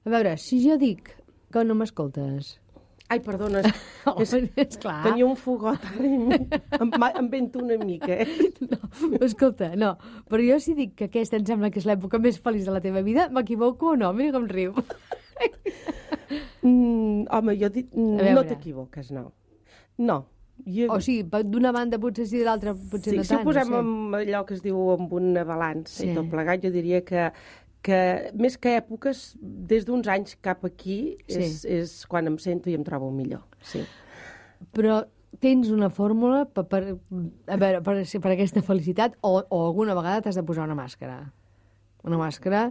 A veure, si jo dic que no m'escoltes... Ai, perdona, esclar. tenia un fogot ara i em vento una mica, No, escolta, no. Però jo si dic que aquesta em sembla que és l'època més feliç de la teva vida, m'equivoco o no? Mira com riu. Home, jo dic... No t'equivoques, no. No. O sigui, d'una banda potser sí, de l'altra potser no tant. Si ho posem amb allò que es diu amb una balança i tot plegat, jo diria que més que èpoques, des d'uns anys cap aquí és quan em sento i em trobo millor. Sí. Però tens una fòrmula per aquesta felicitat o alguna vegada t'has de posar una màscara? Una màscara...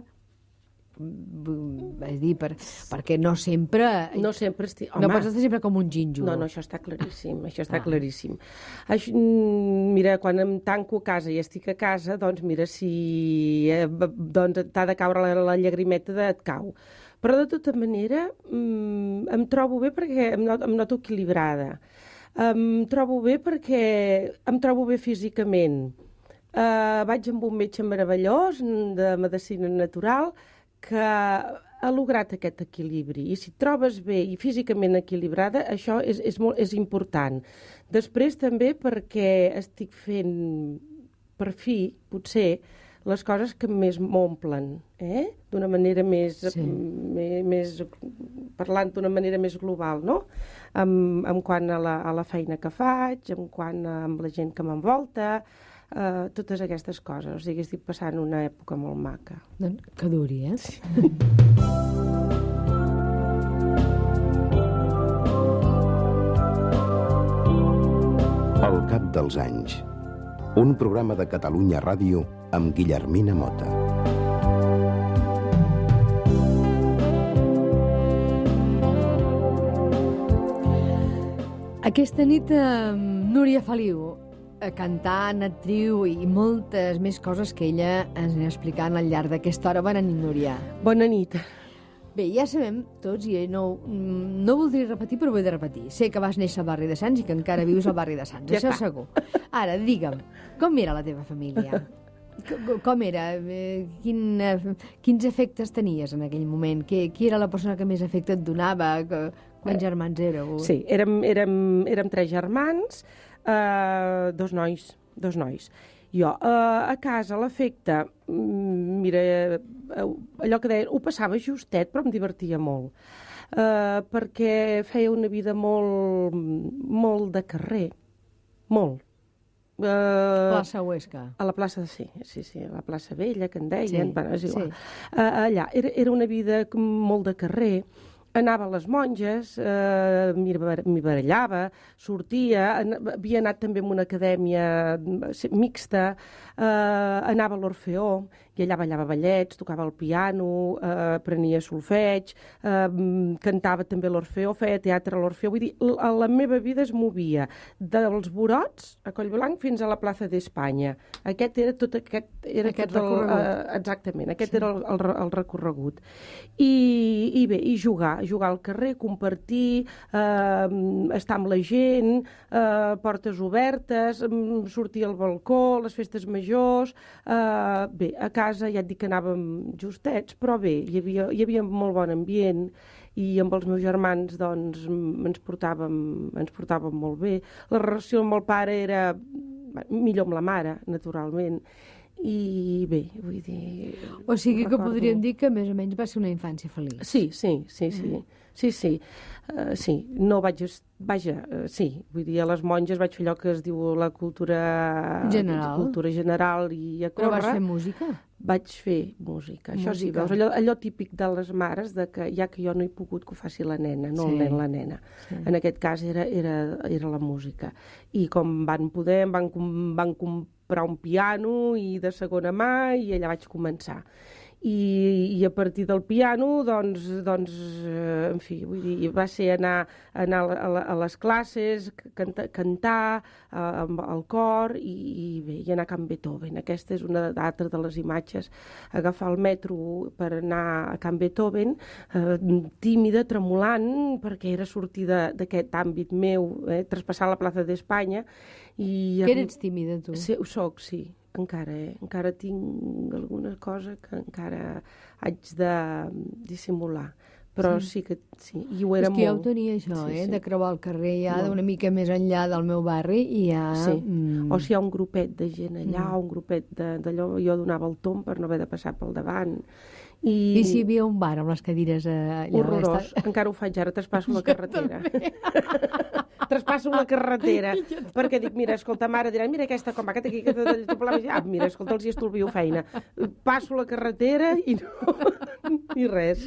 És dir, perquè no sempre... No sempre estic... No pots estar sempre com un ginjo. No, això està claríssim, claríssim. Mira, quan em tanco a casa i estic a casa, doncs mira, si t'ha de caure la llagrimeta et cau. Però de tota manera em trobo bé perquè em noto equilibrada. Em trobo bé perquè em trobo bé físicament. Vaig amb un metge meravellós de medicina natural que ha lograt aquest equilibri. I si et trobes bé i físicament equilibrada, això és important. Després també perquè estic fent, per fi, potser, les coses que més m'omplen, d'una manera més parlant d'una manera més global, no? En quant a la feina que faig, en quant a la gent que m'envolta, totes aquestes coses. O sigui, estic passant una època molt maca. Que duri, eh? Sí. Al cap dels anys, un programa de Catalunya Ràdio amb Guillermina Mota. Aquesta nit Núria Feliu, cantant, actriu i moltes més coses que ella ens anirà explicant al llarg d'aquesta hora. Bona nit, Núria. Bona nit. Bé, ja sabem tots, i no voldria repetir, però ho he de repetir. Sé que vas néixer al barri de Sants i que encara vius al barri de Sants, això segur. Ara, digue'm, com era la teva família? Com era? Quins efectes tenies en aquell moment? Qui era la persona que més efecte et donava? Quants germans éreu? Sí, érem 3 germans, dos nois. Jo, a casa, l'efecte, mira, allò que deien, ho passava justet, però em divertia molt, perquè feia una vida molt de carrer, molt. Plaça Huesca. A la plaça, sí, a la plaça Vella, que en deien, bueno, és igual. Allà, era una vida molt de carrer. Anava a les monges, m'hi barallava, sortia, havia anat també a una acadèmia mixta, anava a l'Orfeó, i allà ballava ballets, tocava el piano, aprenia solfeig, cantava també a l'Orfeó, feia teatre a l'Orfeó. Vull dir, la meva vida es movia dels Borots a Collblanc fins a la plaça d'Espanya. Aquest era recorregut. Exactament, aquest era el recorregut. I bé, i jugar al carrer, compartir, estar amb la gent, portes obertes, sortir al balcó, les festes majors, bé, a casa ja et dic que anàvem justets, però bé, hi havia molt bon ambient i amb els meus germans doncs ens portàvem molt bé. La relació amb el pare era millor amb la mare, naturalment, i bé, vull dir... O sigui que podríem dir que més o menys va ser una infància feliç. Sí, no vaig... Vaja, sí, vull dir, a les monges vaig fer allò que es diu la cultura general i a córrer. Però vas fer música? Vaig fer música, això sí, veus, allò típic de les mares, de que ja que jo no he pogut que ho faci la nena, no el nen, la nena. En aquest cas era la música. I com van poder, van comprar un piano i de segona mà i allà vaig començar. I a partir del piano, doncs, en fi, vull dir, va ser anar a les classes, cantar al cor i bé, i anar a Can Beethoven. Aquesta és una altra de les imatges. Agafar el metro per anar a Can Beethoven, tímida, tremolant, perquè era sortir d'aquest àmbit meu, traspassar la plaça d'Espanya. Que eres tímida, tu? Sí, ho soc, sí. encara tinc alguna cosa que encara haig de dissimular. Però sí que sí, i ho era molt. És que jo ho tenia això, de creuar el carrer ja d'una mica més enllà del meu barri i ja... Sí, o si hi ha un grupet de gent allà, un grupet d'allò, jo donava el tomb per no haver de passar pel davant. I si hi havia un bar amb les cadires allà... Horrorós, encara ho faig ara, traspasso la carretera. Traspasso la carretera, perquè dic, mira, escolta, mare, diran, mira aquesta com va, que aquí, mira, escolta, els hi estolvio feina. Passo la carretera i no, ni res.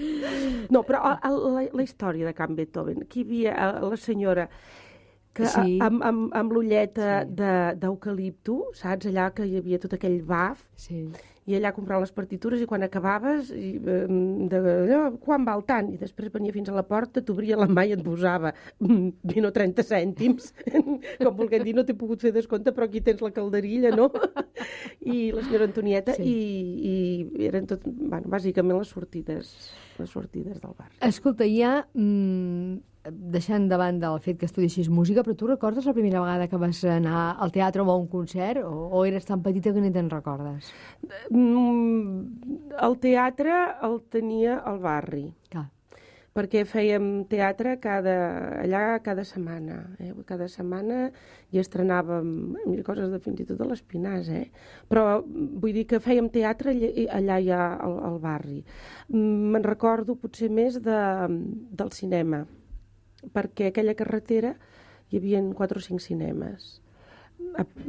No, però la història de Can Beethoven, aquí hi havia la senyora que amb l'ulleta d'eucalipto, saps, allà que hi havia tot aquell baf, i allà comprar les partitures i quan acabaves, quan val tant? I després venia fins a la porta, t'obria la mà i et posava 20 o 30 cèntims. Com volguem dir, no t'he pogut fer descompte, però aquí tens la calderilla, no? I la senyora Antonieta, i eren tot, bueno, bàsicament les sortides del bar. Escolta, ja deixant de banda el fet que estudiessis música, però tu recordes la primera vegada que vas anar al teatre o a un concert? O eres tan petita que ni te'n recordes? El teatre el tenia al barri. Clar. Perquè fèiem teatre cada setmana. Cada setmana i estrenàvem coses fins i tot de l'Espinàs. Però vull dir que fèiem teatre allà ja al barri. Me'n recordo potser més del cinema, perquè a aquella carretera hi havia 4 o 5 cinemes.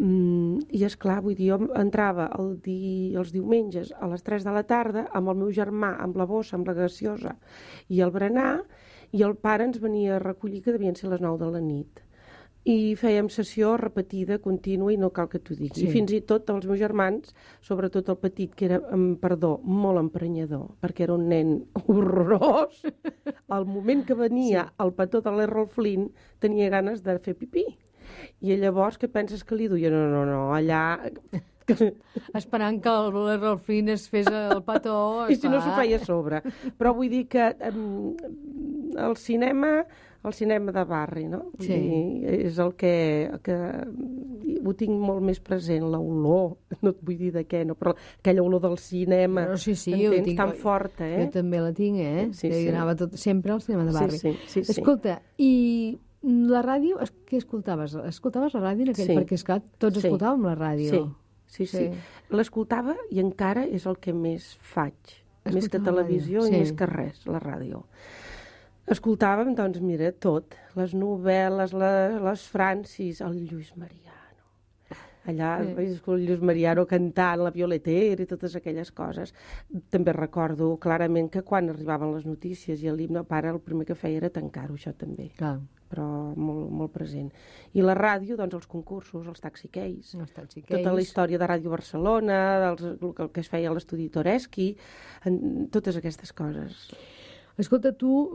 I esclar, vull dir, jo entrava els diumenges a les 3 de la tarda amb el meu germà, amb la bossa, amb la gaseosa i el berenar, i el pare ens venia a recollir, que devien ser les 9 de la nit. I fèiem sessió repetida, contínua, i no cal que t'ho digui. I fins i tot els meus germans, sobretot el petit, que era, perdó, molt emprenyador, perquè era un nen horrorós, al moment que venia el petó de l'Errol Flynn tenia ganes de fer pipí. I llavors, què penses que li duia? No, allà... Esperant que l'Errol Flynn es fes el petó... I si no s'ho feia a sobre. Però vull dir que el cinema de barri, no? Sí. És el que ho tinc molt més present, l'olor, no et vull dir de què, no, però aquella olor del cinema, entens, tan forta, Jo també la tinc, Sí. Anava sempre al cinema de barri. Sí. Escolta, i la ràdio, què escoltaves? Escoltaves la ràdio en aquell? Perquè, esclar, tots escoltàvem la ràdio. Sí. L'escoltava i encara és el que més faig. Més que televisió i més que res, la ràdio. Escoltàvem, doncs, mira, tot. Les novel·les, les Francis, el Lluís Mariano. Allà vaig escoltar el Lluís Mariano cantant, la Violetera i totes aquelles coses. També recordo clarament que quan arribaven les notícies i l'himne, el pare el primer que feia era tancar-ho, això també. Clar. Però molt, molt present. I la ràdio, doncs, els concursos, els taxiqueis, tota la història de Ràdio Barcelona, el que es feia a l'estudi Toreschi, totes aquestes coses. Escolta, tu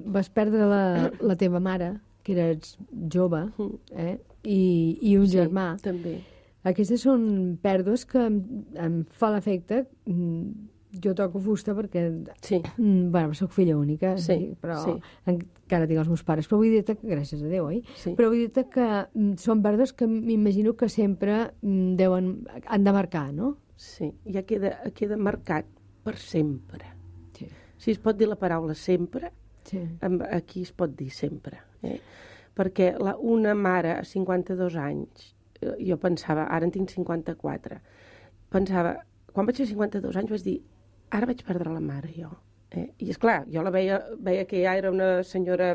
vas perdre la teva mare, que eres jove, i un germà. També. Aquestes són pèrdues que em fa l'efecte... Jo toco fusta perquè... Bueno, soc filla única, però encara tinc els meus pares. Però vull dir-te que, gràcies a Déu, però vull dir-te que són pèrdues que m'imagino que sempre han de marcar, no? Sí, ja queda marcat per sempre. Si es pot dir la paraula sempre, aquí es pot dir sempre. Perquè una mare a 52 anys, jo pensava, ara en tinc 54, pensava, quan vaig fer 52 anys vaig dir, ara vaig perdre la mare, jo. I, esclar, jo la veia que ja era una senyora...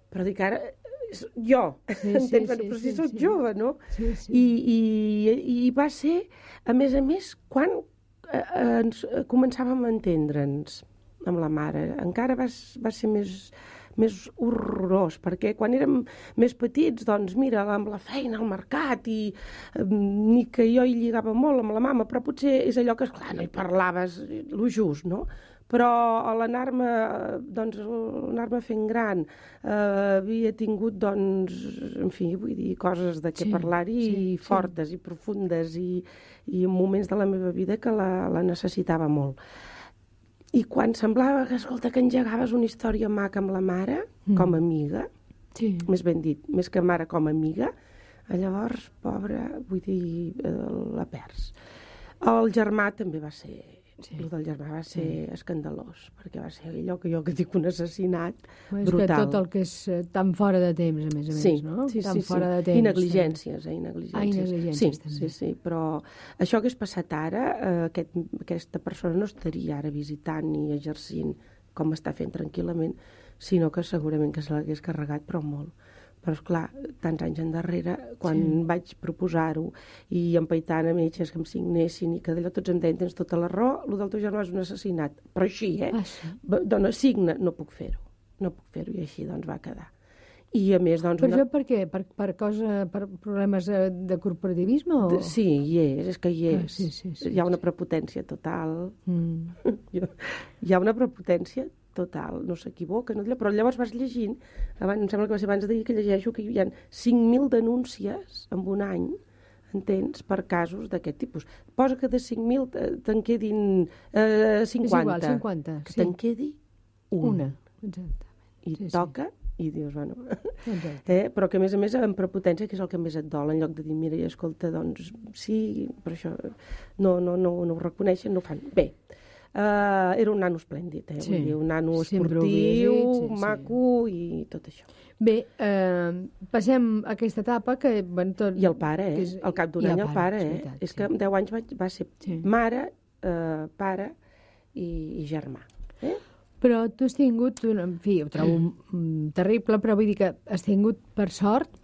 Però dic, ara... Jo, entens? Però si soc jove, no? I va ser, a més, quan començàvem a entendre'ns amb la mare. Encara va ser més horrorós, perquè quan érem més petits, doncs mira, amb la feina, al mercat, i ni que jo hi lligava molt amb la mama, però potser és allò que, esclar, no hi parlaves lo just, no? Però a l'anar-me fent gran, havia tingut, doncs, en fi, vull dir, coses de què parlar-hi fortes i profundes i en moments de la meva vida que la necessitava molt. I quan semblava que, escolta, que engegaves una història maca amb la mare, com a amiga, més ben dit, més que mare com a amiga, Llavors, pobra, vull dir, la perds. El germà també va ser... Sí. El del germà va ser escandalós, perquè va ser allò que dic un assassinat brutal. És que tot el que és tan fora de temps, a més, no? Sí, tan fora de temps. I negligències, negligències també. Sí, però això que hagués passat ara, aquesta persona no estaria ara visitant ni exercint com està fent tranquil·lament, sinó que segurament que se l'hagués carregat, però molt. Però, esclar, tants anys endarrere, quan vaig proposar-ho i empaitant a metges que em signessin i que d'allò tots em deien, tens tota la raó, el del teu germà és un assassinat. Però així, sí? Dona, signa, no puc fer-ho. No puc fer-ho, i així, doncs, va quedar. I, a més, doncs... Però això per què? Per problemes de corporativisme? O... Sí, és que hi és. Sí. Hi ha una prepotència total. Hi ha una prepotència total, no s'equivoca, no? Però llavors vas llegint, em sembla que va ser abans de dir que llegeixo que hi ha 5.000 denúncies en un any, entens, per casos d'aquest tipus. Posa que de 5.000 te'n quedin 50. És igual, 50, que te'n quedi una. Exactament. I toca, i dius, bueno... Però que a més amb prepotència, que és el que més et dol, en lloc de dir, mira, i escolta, doncs sí, però això no ho reconeixen, no ho fan. Bé, era un nano esplèndid, vull dir, un nano esportiu, maco i tot això. Bé, passem a aquesta etapa que... I el pare, al cap d'un any el pare, és que amb 10 anys va ser mare, pare i germà. Però tu has tingut, en fi, ho trobo terrible, però vull dir que has tingut, per sort,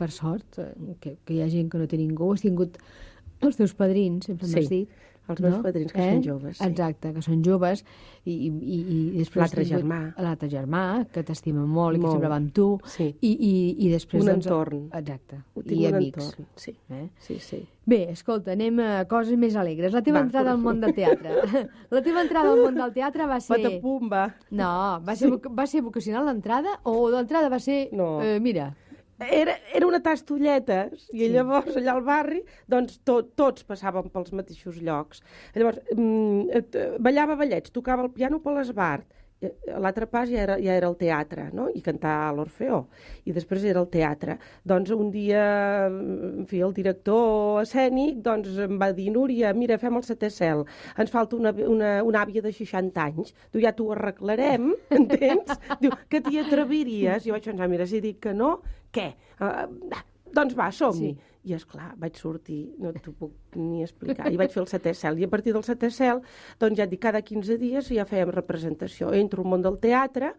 que hi ha gent que no té ningú, has tingut els teus padrins, sempre m'has dit. Els meus padrins, que són joves. Sí. Exacte, que són joves. I després l'altre germà, que t'estima molt i que sempre va amb tu. Sí. I després... Un entorn. Exacte. I amics. Entorn, sí. Sí. Bé, escolta, anem a coses més alegres. La teva entrada al món del teatre. La teva entrada al món del teatre va ser... Patapumba. No, va ser vocacional l'entrada o l'entrada va ser... No. Mira... Era una tastolletes, i llavors allà al barri doncs tots passàvem pels mateixos llocs. Llavors ballava ballets, tocava el piano per l'esbart. L'altre pas ja era el teatre, no? I cantar a l'Orfeó. I després era el teatre. Doncs un dia, en fi, el director escènic doncs, em va dir, Núria, mira, fem el setè cel. Ens falta una àvia de 60 anys. Diu, ja t'ho arreglarem, entens? Diu, que t'hi atreviries? I jo vaig pensar, mira, si dic que no, què? Doncs va, som-hi. Sí. I, esclar, vaig sortir, no t'ho puc ni explicar, i vaig fer el setè cel. I a partir del setè cel, doncs ja et dic, cada 15 dies ja fèiem representació. Entro al món del teatre,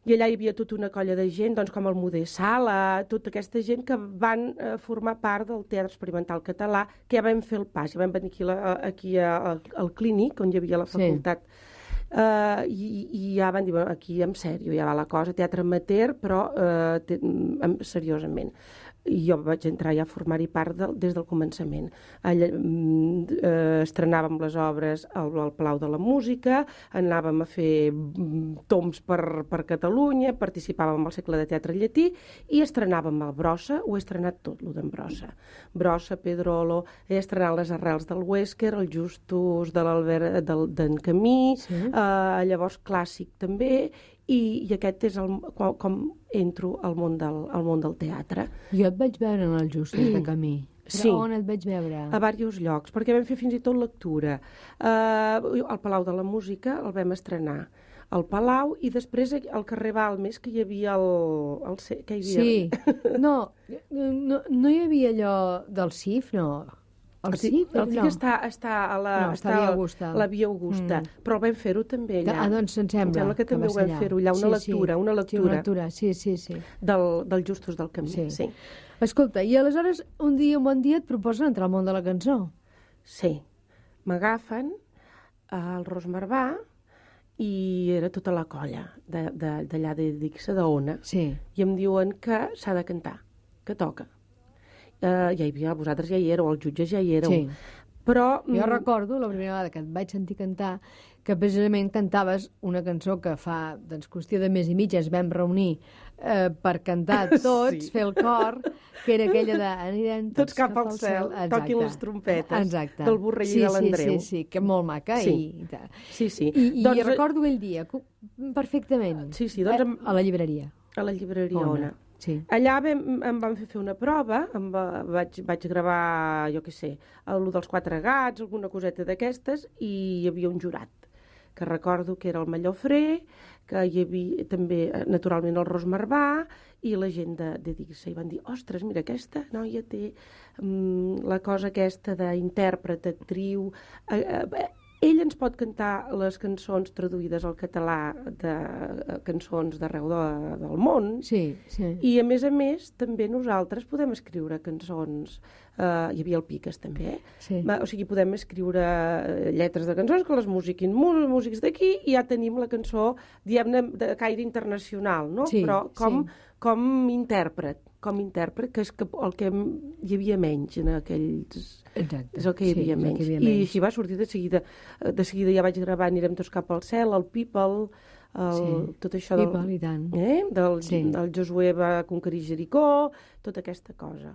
i allà hi havia tota una colla de gent, doncs com el Muder Sala, tota aquesta gent que van formar part del Teatre Experimental Català, que ja vam fer el pas, ja vam venir aquí al Clínic, on hi havia la facultat. I ja van dir, bueno, aquí en sèrio, ja va la cosa, teatre amateur, però seriosament. I jo vaig entrar ja a formar-hi part des del començament. Estrenàvem les obres al Palau de la Música, anàvem a fer toms per Catalunya, participàvem al Cercle de Teatre Llatí i estrenàvem el Brossa, ho he estrenat tot, el d'en Brossa. Brossa, Pedrolo, he estrenat les Arrels del Huéscar, el Justus d'en Camí, llavors clàssic també, i aquest és com entro al món del teatre. Jo et vaig veure en el Justus de Camí. Sí. On et vaig veure? A diversos llocs, perquè vam fer fins i tot lectura. Al Palau de la Música el vam estrenar. Al Palau, i després al carrer Balmes, que hi havia que hi havia... Sí. No hi havia allò del CIF, no? El CIF està a la Via Augusta, però vam fer-ho també allà. Doncs em sembla que també ho vam fer-ho allà, una lectura. Sí. Del Justus del Camí, sí. Escolta, i aleshores un bon dia et proposen entrar al món de la cançó. Sí. M'agafen al Ros Marbà i era tota la colla d'allà de Dixa, d'Ona. Sí. I em diuen que s'ha de cantar, que toca. Ja hi havia, vosaltres ja hi éreu, els jutges ja hi éreu. Sí. Però... Jo recordo la primera vegada que et vaig sentir cantar que precisament cantaves una cançó que fa qüestió de mes i mig ens vam reunir per cantar tots, fer el cor, que era aquella de anirem tots cap al cel, toquin les trompetes, del Borrell i de l'Andreu. Sí, que molt maca. Sí. I recordo aquell dia, perfectament, a la llibreria. A la llibreria Ona. Sí. Allà em van fer una prova, vaig gravar, jo què sé, el dels 4 gats, alguna coseta d'aquestes, i hi havia un jurat, que recordo que era el Mallofré, que hi havia també, naturalment, el Ros Marvà, i la gent de Digsa. I van dir, ostres, mira, aquesta noia té la cosa aquesta d'intèrpret, actriu... Ell ens pot cantar les cançons traduïdes al català de cançons d'arreu del món. Sí. I, a més, també nosaltres podem escriure cançons. Hi havia el Piques, també. Sí. O sigui, podem escriure lletres de cançons que les musiquin músics d'aquí i ja tenim la cançó, diguem-ne, de caire internacional, no? Sí, però com intèrpret, que és el que hi havia menys en aquells... Exacte. És el que hi havia menys. I així va sortir de seguida. De seguida ja vaig gravar Anirem tots cap al cel, el People, tot això People, i tant. Del Josué va conquerir Jericó, tota aquesta cosa.